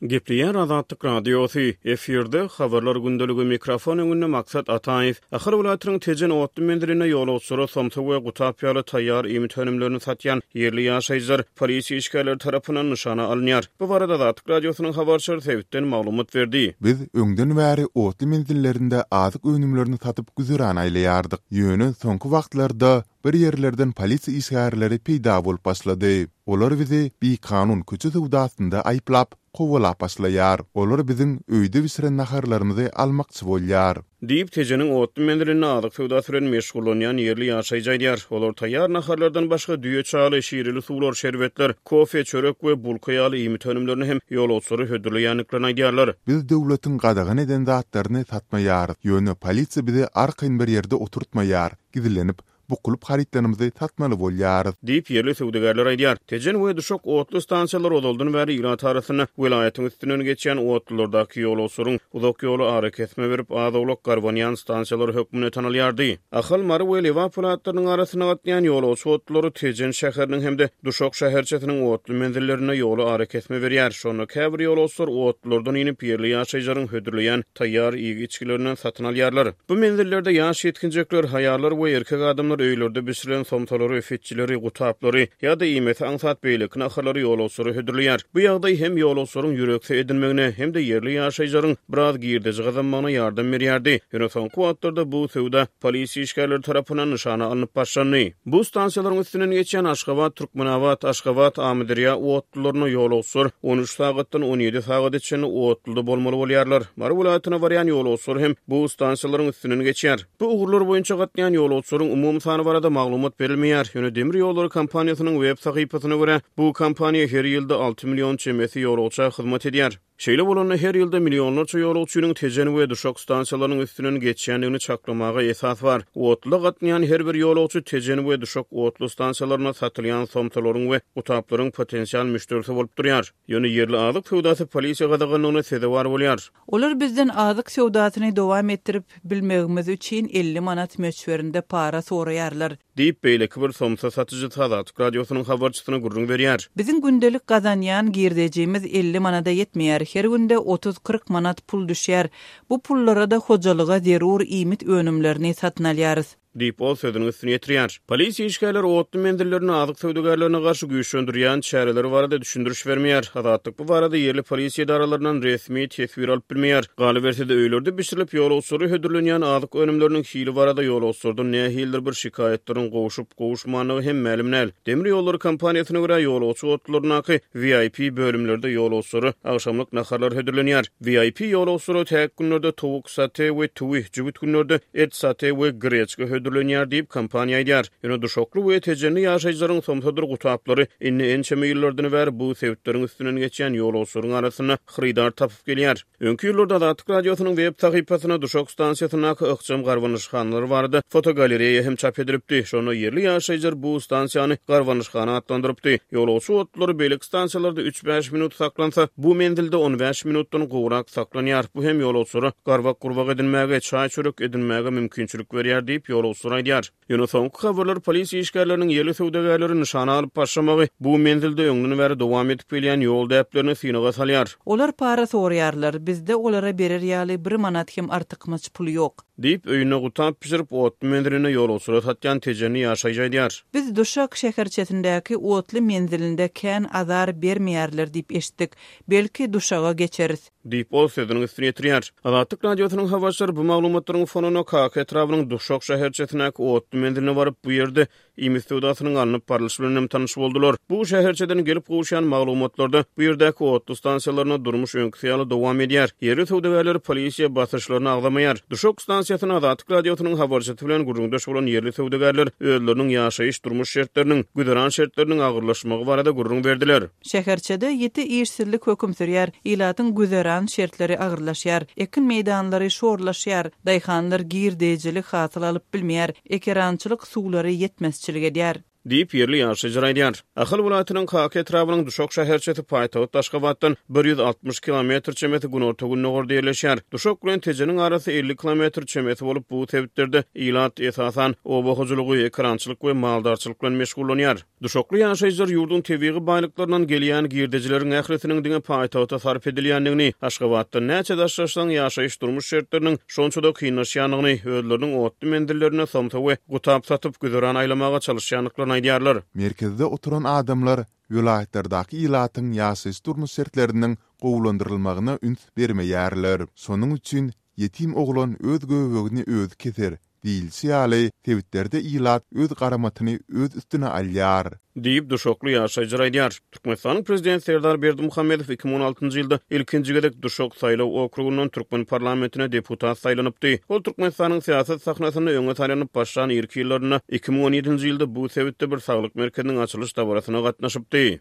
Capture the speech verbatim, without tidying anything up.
Gepleýär Azatlyk Radiosy, efirde Habarlar gündeligi, mikrofon öňünde Maksat Ataýew. Ahal welaýatynyň Tejen otly menzilinde ýolagçylara somsa we gutap ýaly taýýar iýmit önümlerini satýan ýerli ýaşaýjylar polisiýa işgärleri tarapyndan nyşana alynýar. Bu barada Azatlyk Radiosynyň habarçylary sebitden maglumat berdi. Biz öňden bäri otly menzillerinde azyk önümlerini satyp güzeran aýlaýardyk. Ýöne soňky wagtlarda bir ýerlerden polisiýa işgärleri peýda bolup başlady. Olar bizi bikanun köçe söwdasynda aýyplap, kowalap başlaýar. Olar biziň öýde bişiren naharlarymyzy almakçy bolýar. Diýip, Tejeniň otly menzilinde azyk söwdasy bilen meşgullanýan ýerli ýaşaýjy aýdýar. Olar taýýar naharlardan başga düýe çaly, şireli suwlar, şerbetler, kofe, çörek we bulka ýaly iýmit önümlerini hem ýolagçylara hödürleýändiklerini aýdýarlar. Biz döwletiň gadagan eden zatlaryny satmaýarys. Ýöne polisiýa bizi arkaýyn bir ýerde oturtmaýar, gizlenip, bukulyp harytlarymyzy satmaly bolýarys. Diýip, ýerli söwdagärler aýdýar. Tejen we Duşak otly stansiýalary ozaldan bäri ilat arasynda welaýatyň üstünden geçýän otlulardaky ýolagçylaryň uzak ýoly arakesme berip, az-owlak garbanýan stansiýalary hökmünde tanalýardy. Ahal, Mary we Lebap welaýatlarynyň arasynda gatnaýan ýolagçy otlulary Tejen şäheriniň hem-de Duşak şäherçesiniň otly menzillerinde ýoly arakesme berýär. Şonda käbir ýolagçylar otlulardan inip, ýerli ýaşaýjylaryň hödürleýän taýýar iýgi-içgilerinden satyn alýarlar. Bu menzillerde ýaş ýetginjekler, haýallar we erkek adamlar öýlerde bişirilen somsalary, fitçileri, gutaplary ýa-da iýmesi aňsat beýleki naharlary ýolagçylara hödürleýär. Bu ýagdaý hem ýolagçylaryň ýürekse edinmegine, hem-de ýerli ýaşaýjylaryň biraz girdeji gazanmagyna ýardam berýärdi. Ýöne soňky wagtlarda bu söwda polisiýa işgärleri tarapyndan nyşana alnyp başlandy. Bu stansiýalaryň üstünden geçýän Aşgabat, Türkmenabat, Aşgabat, Amyderýa otlularyna ýolagçylar on üç sagatdan on ýedi sagada çenli otluda bolmaly bolýarlar. Mary welaýatyna barýan ýolagçylar hem bu stansiýalaryň üstünden geçýär. Bu ugurlar boýunça gatnaýan ýolagçylaryň umumy sany barada maglumat berilmeýär. Ýöne demir ýollary kompaniýasynyň web sahypasyna görä, bu kompaniýa her ýylda alty million çemesi ýolagça hyzmat edýär. Şeýle bolanda her ýylda millionlarça ýolagçynyň Tejen we Duşak stansiýalarynyň üstünden geçýändigini çaklamaga esas bar. Otluda gatnaýan her bir ýolagçy Tejen we Duşak otly stansiýalarynda satylýan somsalaryň we gutaplaryň potensial müşderisi bolup durýar. Ýöne ýerli azyk söwdasy polisiýa gadaganlygyna sezewar bolýar. Olar bizden azyk söwdasyny dowam etdirip bilmegimiz üçin elli manat möçberinde para soraýarlar. Diýip, beýleki bir somsa satyjysy Azatlyk Radiosynyň habarçysyna gürrüň berýär. Biziň gündelik gazanýan girdejimiz elli manada ýetmeýär. Her günde otuz-kyrk manat pul düşýär. Bu pullara da hojalyga zerur iýmit önümlerini satyn alýarys. Diýip, ol sözüniň üstüni ýetirýär. Polisiýa işgärleri otly menzillerini azyk söwdagärlerine garşy güýçlendirýän çäreleri barada düşündiriş bermeýär. Azatlyk bu barada ýerli polisiýa edaralaryndan resmi teswir alyp bilmeýär. Galyberse-de öýlerde bişirilip ýolagçylara hödürlenýän azyk önümleriniň hili barada ýolagçylardan nähilidir bir şikaýatlaryň gowşup gowuşmandygy hem mälim däl. Demir ýollary kompaniýasyna görä ýolagçy otlularyndaky V I P bölümlerde ýolagçylara agşamlyk naharlar hödürlenýär. V I P ýolagçylara täk günlerde towuk sate we tüwi, jübüt günlerde et sate we greçka hödürlenýär diýip kompaniýa aýdýar. Ýöne Duşakly we Tejenli ýaşaýjylaryň somsadyr gutaplary indi ençeme ýyllardan bäri bu sebitleriň üstünden geçýän ýolagçylaryň arasynda hyrydar tapyp gelýär. Öňki ýyllarda Azatlyk Radiosynyň web sahypasyna Duşak stansiýasyndaky ykjam garbanyşhanalar barada fotogalereýa hem çap edilipdi. Şonda ýerli ýaşaýjylar bu stansiýany garbanyşhana atlandyrypdy. Ýolagçy otlulary beýleki stansiýalarda üç-bäş minut saklansa, bu menzilde on bäş minutdan gowrak saklanýar. Bu hem ýolagçylara garbak gurbak edinmäge, çaý çörek edinmäge mümkinçilik berýär diýip ýolagçylar aýdýar. Ýöne soňky habarlar polisiýa işgärleriniň ýerli söwdagärleri nyşana alyp başlamagy bu menzilde öňden bäri dowam edip gelýän ýol däplerini synaga salýar. Olar para soraýarlar, bizde olara berer ýaly bir manat hem artykmaç pul ýok. Diýip, öýüne gutap pişirip otly menziline ýolagçylara satýan Tejenli ýaşaýjy aýdýar. Biz Duşak şäherçesindäki otly menzilinde kän azar bermeýärler diýip eşitdik. Belki Duşaga geçeris. Diýip, ol sözüniň üstüni ýetirýär. Azatlyk Radiosynyň habarçylary bu maglumatlaryň fonuna Kaka etrabynyň Duşak şäherçesindäki otly menziline baryp, bu ýerde iýmit söwdasynyň alnyp barlyşy bilen hem tanyş boldular. Bu şäherçeden gelip gowuşýan maglumatlarda bu ýerdäki otly stansiýalaryna durmuş öňküsi ýaly dowam edýär. Ýerli söwdagärler polisiýa basyşlaryny agzamaýar. Duşak stansiýasyna Azatlyk Radiosynyň habarçysy bilen gürrüňdeş bolan ýerli söwdagärler özleriniň ýaşaýyş durmuş şertleriniň, güzeran şertleriniň agyrlaşmagy barada gürrüň berdiler. Şäherçede ýiti işsizlik höküm sürýär. Ilatyň güzeran şertleri agyrlaşýar. Ekin meýdanlary şorlaşýar. Daýhanlar girdeýjilik hasyl alyp bilmeýär. Ekerançylyk suwlary ýetmezçilik edýär. Diýip, ýerli ýaşaýjylar aýdýar. Ahal welaýatynyň Kaka etrabynyň Duşak şäherçesi paýtagt Aşgabatdan bir ýüz altmyş kilometr çemesi günorta-gündogarda ýerleşýär. Duşak bilen Tejeniň arasy elli kilometr çemesi bolup, bu sebitlerde ilat, esasan, oba hojalygy, ekerançylyk we maldarçylyk bilen meşgullanýar. Duşakly ýaşaýjylar ýurduň tebigy baýlyklaryndan gelýän girdejileriň ählisiniň diňe paýtagta sarp edilýändigini, Aşgabatdan näçe daşlaşsaň ýaşaýyş-durmuş şertleriniň şonça-da kynlaşýandygyny, özleriniň otly menzillerinde somsa we gutap satyp güzeran aýlamaga çalyşýandyklaryny aýdýarlar. Merkezde oturan adamlar welaýatlardaky ilatyň ýaşaýyş-durmuş şertleriniň gowulandyrylmagyna üns bermeýärler. Şonuň üçin ýetim oglan öz göbegini özi keser diýilişi ýaly, sebitlerde ilat öz garamatyny öz üstüne alýar. Diýip, duşakly ýaşaýjylar aýdýar. Türkmenistanyň Prezidenti Serdar Berdimuhamedow iki müň on altynjy ýylda ilkinji gezek Duşak saýlaw okrugyndan türkmen parlamentine deputat saýlanypdy. Ol Türkmenistanyň syýasat sahnasynda öňe saýlanyp başlan irki ýyllarynda iki müň on ýedinji ýylda bu sebitde bir saglyk merkeziniň açylyş dabarasyna gatnaşypdy.